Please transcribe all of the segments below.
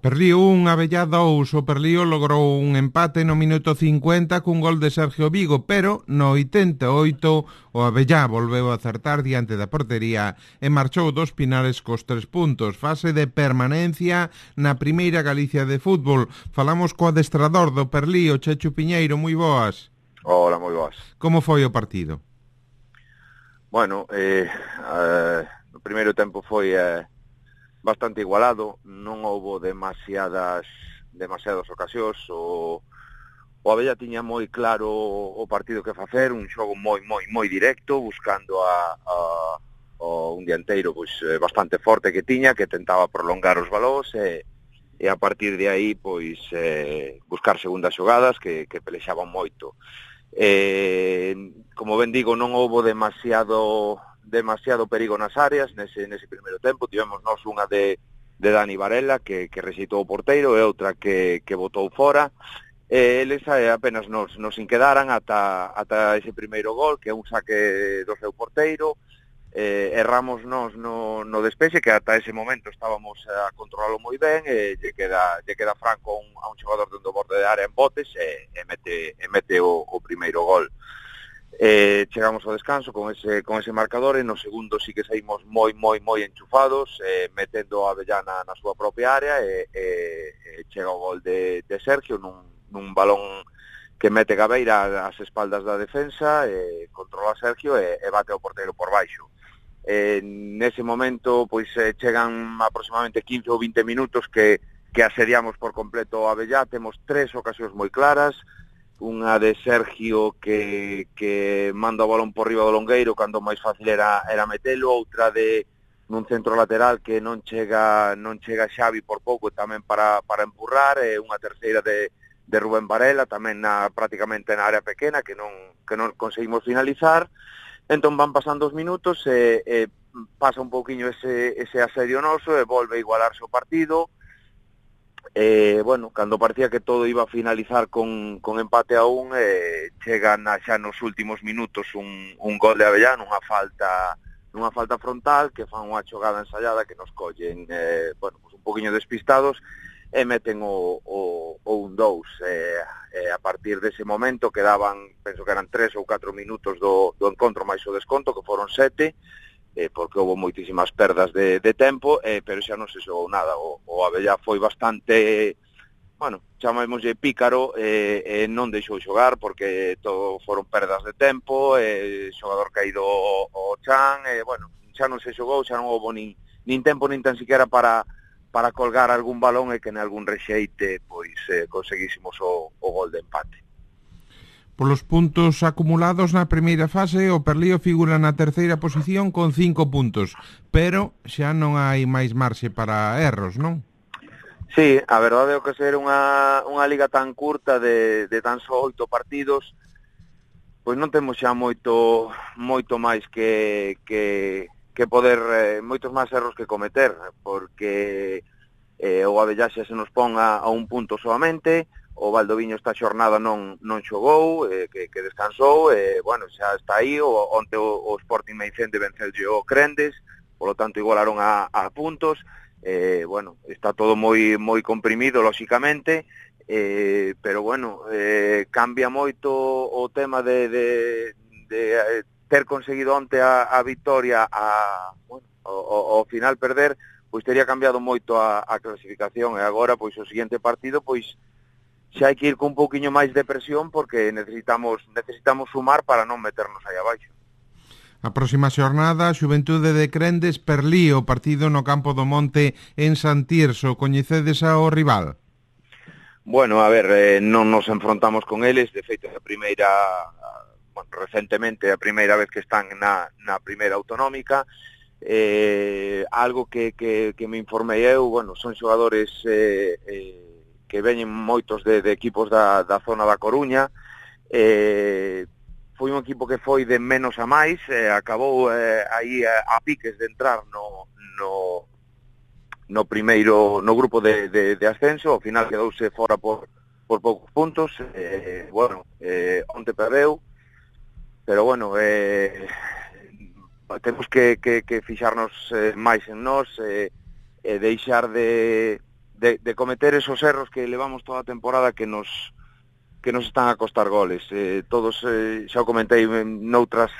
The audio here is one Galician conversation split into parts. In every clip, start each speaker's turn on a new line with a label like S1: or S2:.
S1: Perlío 1, Abellá 2. O Perlío logrou un empate no minuto 50 cun gol de Sergio Vigo, pero no 88 o Abellá volveu a acertar diante da portería e marchou dos Pinares cos 3 puntos. Fase de permanencia na Primeira Galicia de fútbol. Falamos co adestrador do Perlío, Chechu Piñeiro, moi boas.
S2: Hola, moi boas.
S1: Como foi o partido?
S2: Bueno, o primeiro tempo foi bastante igualado, non houbo demasiadas ocasións. O Abella tiña moi claro o partido que facer, un xogo moi directo, buscando un dianteiro pois bastante forte que tiña, que tentaba prolongar os balóns e a partir de aí pois buscar segundas xogadas que pelexaban moito. Como ben digo, non houbo demasiado perigo nas áreas nese primeiro tempo. Tivemos nós unha de Dani Varela que rexeitou o porteiro e outra que botou fora. Eles apenas nos inquedaran ata ese primeiro gol, que é un saque do seu porteiro. Erramos nós no despexe, que ata ese momento estábamos a controlalo moi ben, lle queda Franco a un xogador dentro do borde de área en botes e mete o primeiro gol. Chegamos ao descanso con ese marcador e no segundo sí que saímos moi enchufados, metendo a Avellana na súa propia área e chega o gol de Sergio nun balón que mete Gabeira ás espaldas da defensa, controla a Sergio e bate ao porteiro por baixo. Nese momento pois chegan aproximadamente 15 ou 20 minutos que asediamos por completo a Avellá. Temos 3 ocasións moi claras, unha de Sergio que manda o balón por riba do longueiro cando máis fácil era metelo, outra de nun centro lateral que non chega Xavi por pouco tamén para empurrar, e unha terceira de Rubén Varela tamén prácticamente na área pequena que non conseguimos finalizar. Entón van pasando os minutos e pasa un pouquiño ese asedio noso e volve a igualarse o partido. Bueno, cando parecía que todo iba a finalizar con empate a 1, chegan xa nos últimos minutos un gol de Avellá nunha falta frontal, que fan unha xogada ensaiada que nos collen pues un pouquiño despistados e meten o 1-2. A partir dese momento quedaban, penso que eran 3 ou 4 minutos do encontro máis o desconto, que foron 7, porque houve moitísimas perdas de tempo, pero xa non se xogou nada. O Abellá foi bastante, bueno, chamémoslle pícaro, non deixou xogar porque todo foron perdas de tempo, xogador caído o chan, bueno, xa non se xogou, xa non houve nin tempo nin tan siquiera para colgar algún balón e que en algún rexeite pois conseguísemos o gol de empate.
S1: Polos puntos acumulados na primeira fase, o Perlío figura na terceira posición con 5 puntos, pero xa non hai máis marxe para erros, non?
S2: Sí, a verdade é que ser unha liga tan curta de tan só 8 partidos, pois non temos xa moito máis que poder, moitos máis erros que cometer, porque o Abellá xa se nos pon a un punto solamente, o Valdoviño esta xornada non xogou, que descansou, bueno, xa está aí, onte o Sporting Meicende venceulle o Crendes, polo tanto igualaron a puntos, bueno, está todo moi comprimido, lóxicamente, pero bueno, cambia moito o tema de ter conseguido onte a victoria, bueno, ao final perder, pois tería cambiado moito a clasificación, e agora pois o seguinte partido pois xa hai que ir con un pouquiño máis de presión porque necesitamos sumar para non meternos aí abaixo.
S1: A próxima xornada, Xuventude de Crendes, Perlío, partido no Campo do Monte en San Tirso. Coñecedes ao rival?
S2: Bueno, a ver, non nos enfrontamos con eles, de feito recentemente a primeira vez que están na primeira autonómica. Algo que me informei eu, bueno, son xogadores que veñen moitos de equipos da zona da Coruña. Foi un equipo que foi de menos a máis, acabou aí a piques de entrar no primeiro, no grupo de ascenso, ao final quedouse fora por poucos puntos, bueno, onte perdeu, pero bueno, temos que fixarnos máis en nós, deixar de de cometer esos erros que levamos toda a temporada que nos están a costar goles. Todos, xa o comentei noutras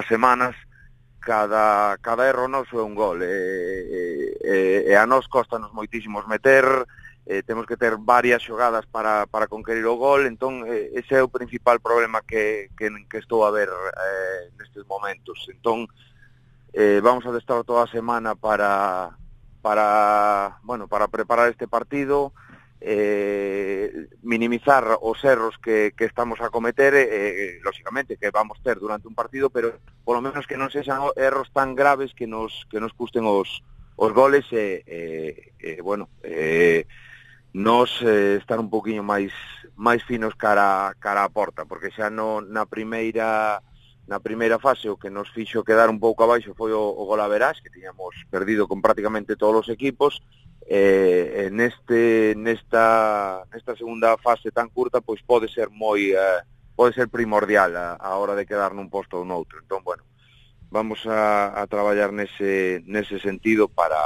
S2: semanas, cada erro noso é un gol, e a nós costanos moitísimos meter, temos que ter varias xogadas para conquerir o gol, entón ese é o principal problema que estou a ver nestes momentos. Entón vamos a estar toda a semana para preparar este partido, minimizar os erros que estamos a cometer, lógicamente que vamos ter durante un partido, pero polo menos que non sexan erros tan graves que nos custen os goles, nos estar un poquinho máis finos cara a porta, porque xa na primeira fase o que nos fixo quedar un pouco abaixo foi o gol a verás, que tiñamos perdido con prácticamente todos os equipos. Nesta segunda fase tan curta, pois pode ser primordial a hora de quedar nun posto ou noutro. Entón, bueno, vamos a traballar nese sentido para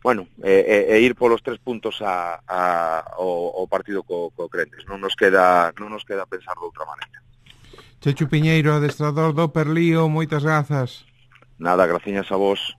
S2: ir polos 3 puntos ao partido co Crentes. Non nos queda pensar de outra maneira.
S1: Chechu Piñeiro, adestrador do Perlío, moitas grazas.
S2: Nada, graciñas a vos.